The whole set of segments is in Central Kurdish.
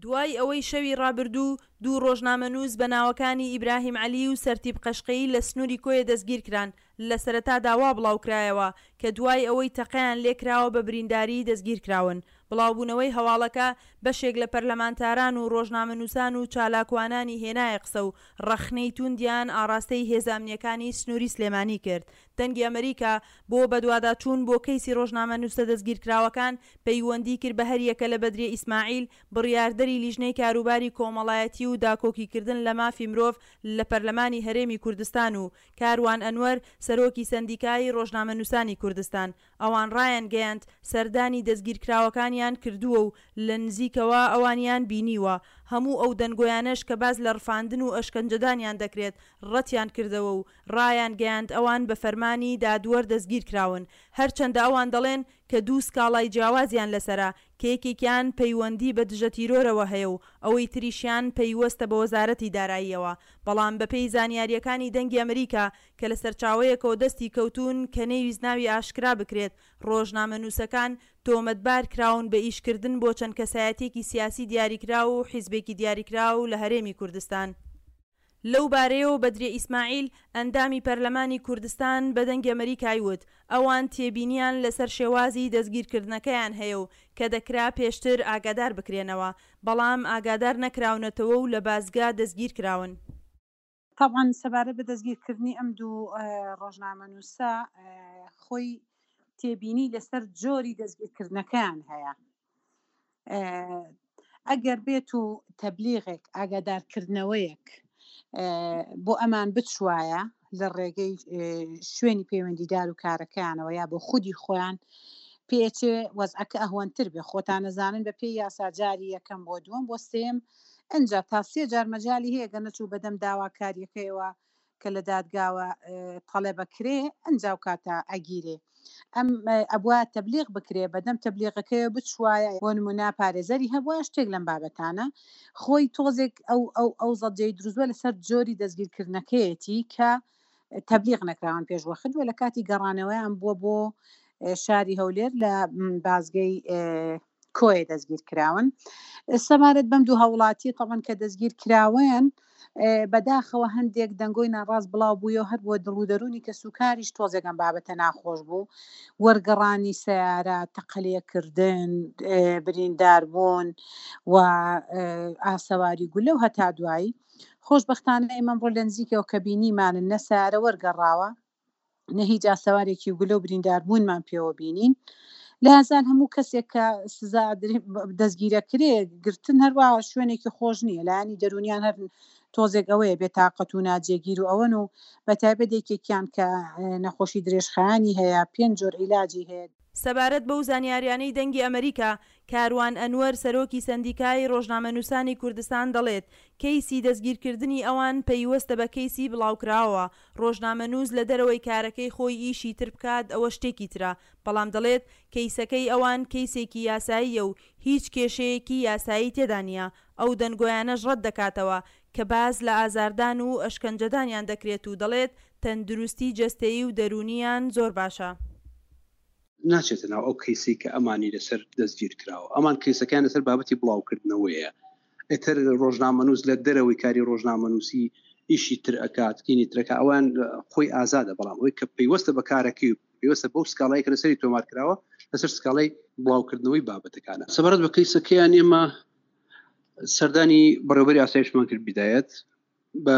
دوای ئەوەی شەوی ڕابردوو دوو ڕۆژنامەنووس بە ناوەکانی ئیبراهیم عەلی و سەرتیپ قەشقەیی لە سنووری کۆیە دەستگیرکران، لە سەرەتادا وا بڵاوکرایەوە کە دوای ئەوەی تەقەیان لێکراوە بە برینداریی دەستگیرکراون. بڵاوبوونەوەی هەواڵەکە بەشێک لە پەرلەمانتاران و ڕۆژنامەنووسان و چالاکوانانی هێنایە قسە و ڕەخنەی تووندیان ئاڕاستەی هێزە ئەمنییەکانی سنووری سلێمانی کرد. دەنگی ئەمریکا بۆ بەدواداچوون بۆ کەیسی ڕۆژنامەنووسە دەستگیرکراوەکان پەیوەندی کرد بە هەریەکە لە بەدریە ئیسماعیل، بڕیاردەری لیژنەی کاروباری کۆمەڵایەتی و داکۆکیکردن لە مافی مرۆڤ لە پەرلەمانی هەرێمی کوردستان و کاروان ئەنوەر، سەرۆکی سەندیکای ڕۆژنامەنووسانی کوردستان. ئەوان ڕایانگەیاند، سەردانی دەستگیرکراوەکانیان کردووە و لە نزیکەوە ئەوانیان بینیوە. هەموو ئەو دەنگۆیانەش کە باس لە ڕفاندن و ئەشکەنجەدانیان دەکرێت، ڕەتیان کردەوە و ڕایانگەیاند ئەوان بە فەرمانی دادوەر دەستگیرکراون. هەرچەندە ئەوان دەڵێن کە دوو سکاڵای جیاوازیان لەسەرە کە یەکێکیان پەیوەندی بە دژەتیرۆرەوە هەیە و ئەوەی تریشیان پەیوەستە بە وەزارەتی داراییەوە. بەڵام بەپێی زانیارییەکانی دەنگی ئەمریکا کە لە سەرچاوەیەکەوە دەستی کەوتوون کە نەیویست ناوی ئاشکرا بکرێت، ڕۆژنامەنووسەکان تۆمەتبار کراون بە ئیشکردن بۆ چەند کەسایەتییەکی سیاسی دیاریکراو و حیزبێکی دیاریکراو لە هەرێمی کوردستان. لەو بارەیەوە بەدریە ئیسماعیل، ئەندامی پەرلەمانی کوردستان بە دەنگی ئەمریکای وت، ئەوان تێبینیان لەسەر شێوازی دەستگیرکردنەکەیان هەیە و کە دەکرا پێشتر ئاگادار بکرێنەوە، بەڵام ئاگادار نەکراونەتەوە و لە بازگە دەستگیرکراون. تەبعەن سەبارەت بە دەستگیرکردنی ئەم دوو ڕۆژنامەنووسە خۆی تێبینی لەسەر جۆری دەستگیرکردنەکەیان هەیە. ئەگەر بێت و تەبلیغێک ئاگادارکردنەوەیەک بۆ ئەمان بچوایە لە ڕێگەی شوێنی پەیوەندیدار و کارەکەیانەوە یا بۆ خودی خۆیان پێچێ وەزعەکە ئەهوەنتر بێ خۆتان نەزانن بە پێی یاسا جاری یەکەم بۆ دووەم بۆ سێم ئەجا تا سێ جار مەجای هەیە گە نەچوو بەدەم داواکاریەکەیەوە کە لە دادگاوە تەڵێبە کرێ ئەنجا و کاتە ئەگیرێ ئەم ئەبوا تەبلیغ بکرێ بەدەم تەبلیغەکەیەوە بچوایە بۆ نمونە پارێزەری هەبوایە شتێک لەم بابەتانە خۆی تۆزێک ئەو ئەو ئەو زەجەی دروستوە لەسەر جۆری دەستگیرکردنەکەیەتی کە تەبلیغ نەکراون پێش وەخت وە لە کاتی گەڕانەوەیان بووە بۆ شاری هەولێر لە بازگەی کۆیە دەستگیر کراون. سەبارەت بەم دوو هاوڵاتیە تەبعەن کە دەستگیر کراون بەداخەوە هەندێک دەنگۆی ناڕاست بڵاو بوویەوە هەر بۆ دڵ و دەروونی کەسوکاریش تۆزێک ئەم بابەتە ناخۆش بوو وەرگەڕانی سەیارە تەقەلێکردن بریندار بوون و ئاسەواری گولە و هەتا دوایی خۆشبەختانە ئێمە ئەمڕۆ لە نزیکەوە کە بینیمانن نە سەیارە وەرگەڕاوە نە هیچ ئاسەوارێکی گولە و برینداربوونمان پێوە بینین لە هەزار هەموو کەسێک کە سزا دەستگیرەکرێ گرتن هەروە شوێنێکی خۆش نییە لایەنی دەرونیان هەر تۆزێک ئەوەیە بێتاقەت و ناجێگیر و ئەوەن و بە تایبەت یەکێکیان کە نەخۆشی درێژخایەنی هەیە پێنج جۆر عیلاجی هەیە. سەبارەت بەو زانیاریانەی دەنگی ئەمریکا، کاروان ئەنوەر سەرۆکی سەندیکای ڕۆژنامەنووسانی کوردستان دەڵێت، کەیسی دەستگیرکردنی ئەوان پەیوەستە بە کەیسی بڵاوکراوەوە، ڕۆژنامەنووس لە دەرەوەی کارەکەی خۆی ئیشی تر بکات ئەوە شتێکی ترە، بەڵام دەڵێت کەیسەکەی ئەوان کەیسێکی یاساییە و هیچ کێشەیەکی یاسایی تێدا نییە، ئەو دەنگۆیانەش ڕەت دەکاتەوە کە باس لە ئازاردان و ئەشکەنجەدانیان دەکرێت و دەڵێت تەندروستی جەستەیی و دەروونییان زۆر باشە. ناچێتە ناو ئەو کەیسەی کە ئەمانی لەسەر دەستگیر کراوە ئەمان کەیسەکان لەسەر بابەتی بڵاوکردنەوەیە ئیتر ڕۆژنامەنووس لە دەرەوەی کاری ڕۆژنامەنووسی ئیشی تر ئەکات کینی ترەکە ئەوان خۆی ئازادە بەڵام ئەوەی کە پەیوەستە بە کارەکەی و پەیوەستە بەو سکاڵای کە لەسەری تۆمار کراوە لەسەر سکاڵای بڵاوکردنەوەی بابەتەکانە سەبارەت بە کەیسەکەیان ئێمە سەردانی بەڕێوبەری ئاسایشمان کرد بیدایەت بە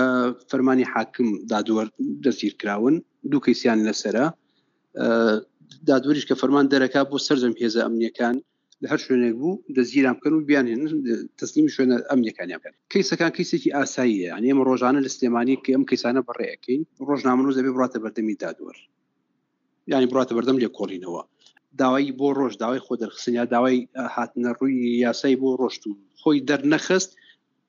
فەرمانی حاکم دادوەر دەستگیر کراون دوو کەیسیان لەسرە دادوەریش کە فەرمان دەرەکا بۆ سەرجەم هێزە ئەمنیەکان لە هەر شوێنێک بوو دەستگیران بکەن و بیان هێنن تەسلیمی شوێنە ئەمنیەکانیان بکەن کەیسەکان کەیسێکی ئاساییە یعنی ئێمە ڕۆژانە لە سلێمانی کە ئەم کەیسانە بەڕێ ئەکەین ڕۆژنامەنووس دەبێ بڕاتە بەردەمی دادوەر یعنی بڕاتە بەردەم لێکۆڵینەوە داوای بۆ ڕۆژ داوای خۆ دەرخستن یا داوای هاتنە ڕووی یاسای بۆ ڕۆشت و خۆی دەرنەخست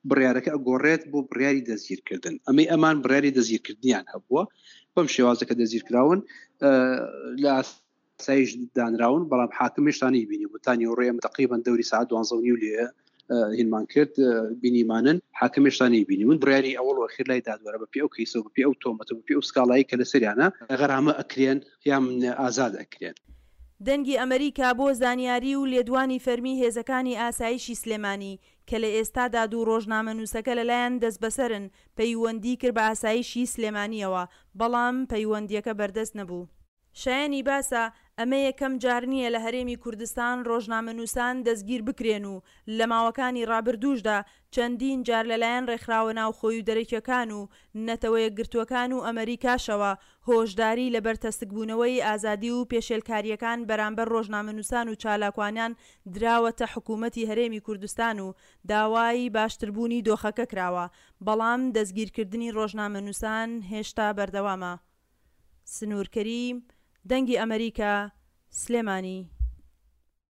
بڕیارەکە ئەگۆڕێت بۆ بڕیاری دەستگیرکردن ئەمەی ئەمان بڕیاری دەستگیرکردنیان هەبووە بەم شێوازە کە دەستگیرکراون لە ئاسایش دانراون بەڵام حاکم هێشتا نەیبینی بوو تا نیوەڕۆ ئێمە تقریبا دەوری ساعت دوانزە و نیو لێ هینمان کرد بینیمانن حاکم هێشتا نەیبینی من بڕیاری ئەوەڵ و ئەخیر لای دادوەرە بەپێی ئەو کەیسە و بەپێی ئەو تۆمەتە بەپێی ئەو سکاڵایی کە لەسەریانە غەرامە ئەکرێن یان ئازاد ئەکرێن. دەنگی ئەمەریکا بۆ زانیاری و لێدوانی فەرمی هێزەکانی ئاسایشی سلێمانی. کە لە ئێستادا دوو ڕۆژنامەنووسەکە لەلایان دەستبەسەرن، پەیوەندی کرد بە ئاسایشی سلێمانییەوە، بەڵام پەیوەندییەکە بەردەست نەبوو. شایەنی باسە، ئەمە یەکەم جار نییە لە هەرێمی کوردستان ڕۆژنامەنووسان دەستگیر بکرێن و لە ماوەکانی ڕابردووشدا چەندین جار لەلایەن ڕێکخراوە ناوخۆی و دەرەکیەکان و نەتەوەیەکگرتووەکان و ئەمەریکاشەوە هۆشداری لە بەرتەسکبوونەوەی ئازادی و پێشێلکارییەکان بەرامبەر ڕۆژنامەنووسان و چالاکوانان دراوەتە حکوومەتی هەرێمی کوردستان و داوای باشتربوونی دۆخەکە کراوە، بەڵام دەستگیرکردنی ڕۆژنامەنووسان هێشتا بەردەوامە. سنوور کەریم، دەنگی ئەمەریکا، سلێمانی.